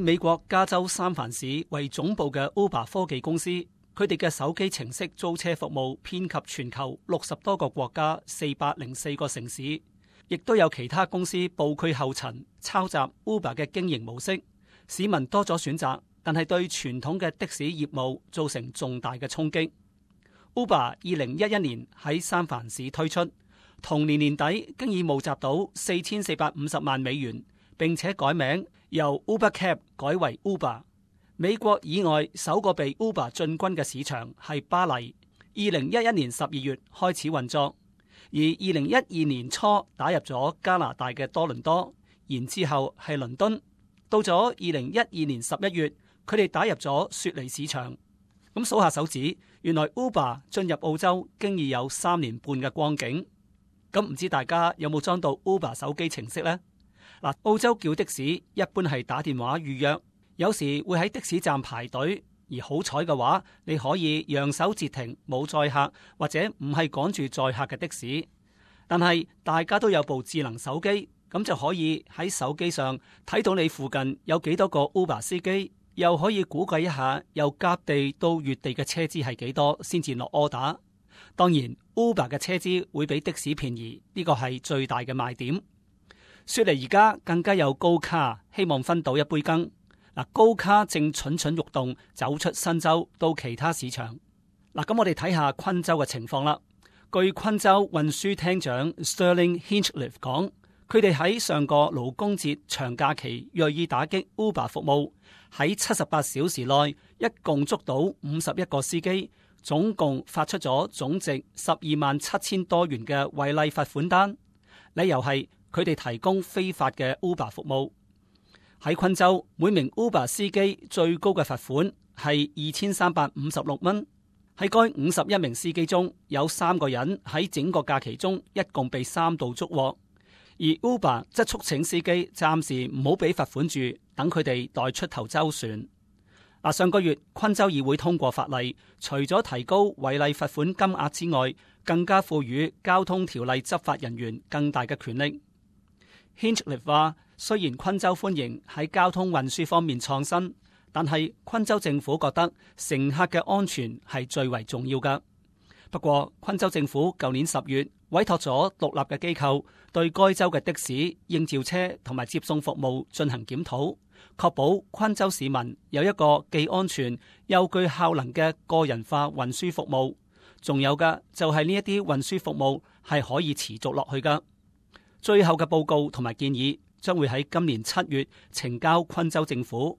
美國加州三藩市為總部嘅 Uber 科技公司，佢哋嘅手機程式租車服務遍及全球60多個國家404個城市，亦都有其他公司步佢後塵抄襲 Uber 嘅經營模式。市民多咗選擇，但係對傳統嘅的士業務造成重大嘅衝擊。Uber 2011年喺三藩市推出，同年年底經已募集到4450萬美元，並且改名由 Uber Cab 改為 Uber。美國以外首個被 Uber 進軍嘅市場係巴黎，2011年12月開始運作，而2012年初打入咗加拿大嘅多倫多，然之後係倫敦，到咗2012年11月，佢哋打入咗雪梨市場。咁數下手指，原來 Uber 進入澳洲經已有3年半嘅光景。咁唔知大家有冇裝到 Uber 手機程式呢？嗱，澳洲叫的士一般係打電話預約，有時會喺的士站排隊，而好彩嘅話，你可以揚手截停冇載客或者唔係趕住載客嘅的士。但係大家都有部智能手機，咁就可以喺手機上睇到你附近有幾多個 Uber 司機。又可以估計一下由甲地到乙地嘅車資係幾多，先至落 order。當然 Uber 嘅車資會比的士便宜，呢個係最大嘅賣點。雪梨而家更加有高卡，希望分到一杯羹。嗱，高卡正蠢蠢欲動，走出新州到其他市場。嗱，咁我哋睇下昆州嘅情況啦。據昆州運輸廳長 Sterling Hinchliffe 講，佢哋喺上個勞工節長假期銳意打擊 Uber 服務，喺78小時內一共捉到51個司機，總共發出咗總值127000多元嘅違例罰款單，理由係佢哋提供非法嘅 Uber 服務。喺昆州，每名 Uber 司機最高嘅罰款係2356蚊。喺該51名司機中，有3個人喺整個假期中一共被3度捉獲。而 Uber 則促請司機暫時唔好俾罰款住，等佢哋待出頭周旋。上個月昆州議會通過法例，除咗提高違例罰款金額之外，更加賦予交通條例執法人員更大嘅權力。Hinchliffe 話，雖然昆州歡迎喺交通運輸方面創新，但係昆州政府覺得乘客嘅安全係最為重要㗎。不過，昆州政府舊年10月委託咗獨立嘅機構對該州嘅的士、應召車同埋接送服務進行檢討，確保昆州市民有一個既安全又具效能嘅個人化運輸服務。仲有嘅就係呢一啲運輸服務係可以持續落去㗎。最後嘅報告同埋建議將會喺今年7月呈交昆州政府。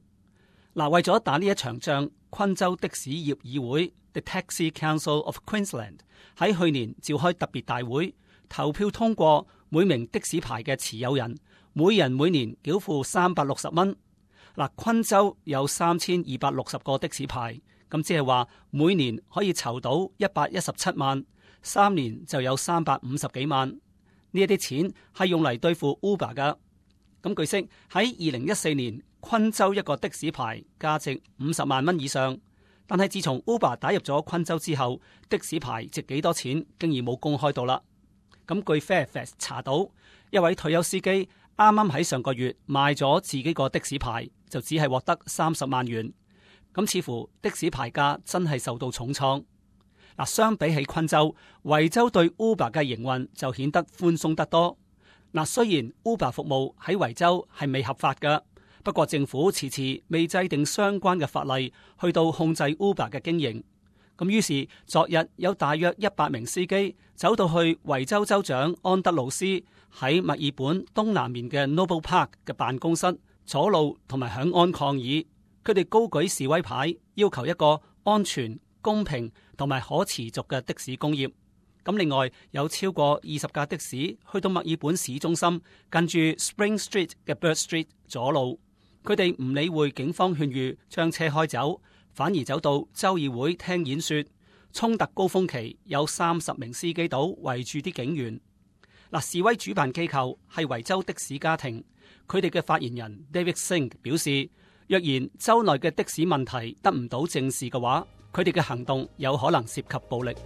為咗打呢一場仗，昆州的士業議會 The Taxi Council of Queensland 喺去年召開特別大會，投票通過每名的士牌嘅持有人每人每年繳付360蚊。昆州有3260個的士牌，咁即係話每年可以籌到117萬，3年就有350幾萬。呢一啲錢係用嚟對付 Uber 噶。咁據悉喺2014年，昆州一個的士牌價值50萬蚊以上，但係自從 Uber 打入咗昆州之後，的士牌值幾多錢，竟然冇公開到啦。咁據 Fairfax 查到，一位退休司機啱啱喺上個月賣咗自己個的士牌，就只係獲得30萬元。咁似乎的士牌價真係受到重創。相比起昆州，維州對 Uber 嘅營運就顯得寬鬆得多。雖然 Uber 服務喺維州係未合法㗎，不過政府遲遲未制定相關嘅法例去到控制 Uber 嘅經營。咁於是昨日有大約100名司機走到去維州州長安德魯斯喺墨爾本東南面嘅 Noble Park 嘅辦公室阻路同埋響安抗議。佢哋高舉示威牌，要求一個安全、公平同埋可持續嘅的士工業。咁另外有超過20架的士去到墨爾本市中心，近住 Spring Street 嘅 Bird Street 阻路。佢哋唔理會警方勸喻，將車開走，反而走到州議會聽演說。衝突高峰期有30名司機到圍住啲警員。示威主辦機構係維州的士家庭，佢哋嘅發言人 David Singh 表示，若然州內嘅的士問題得唔到正視嘅話，佢哋嘅行動有可能涉及暴力。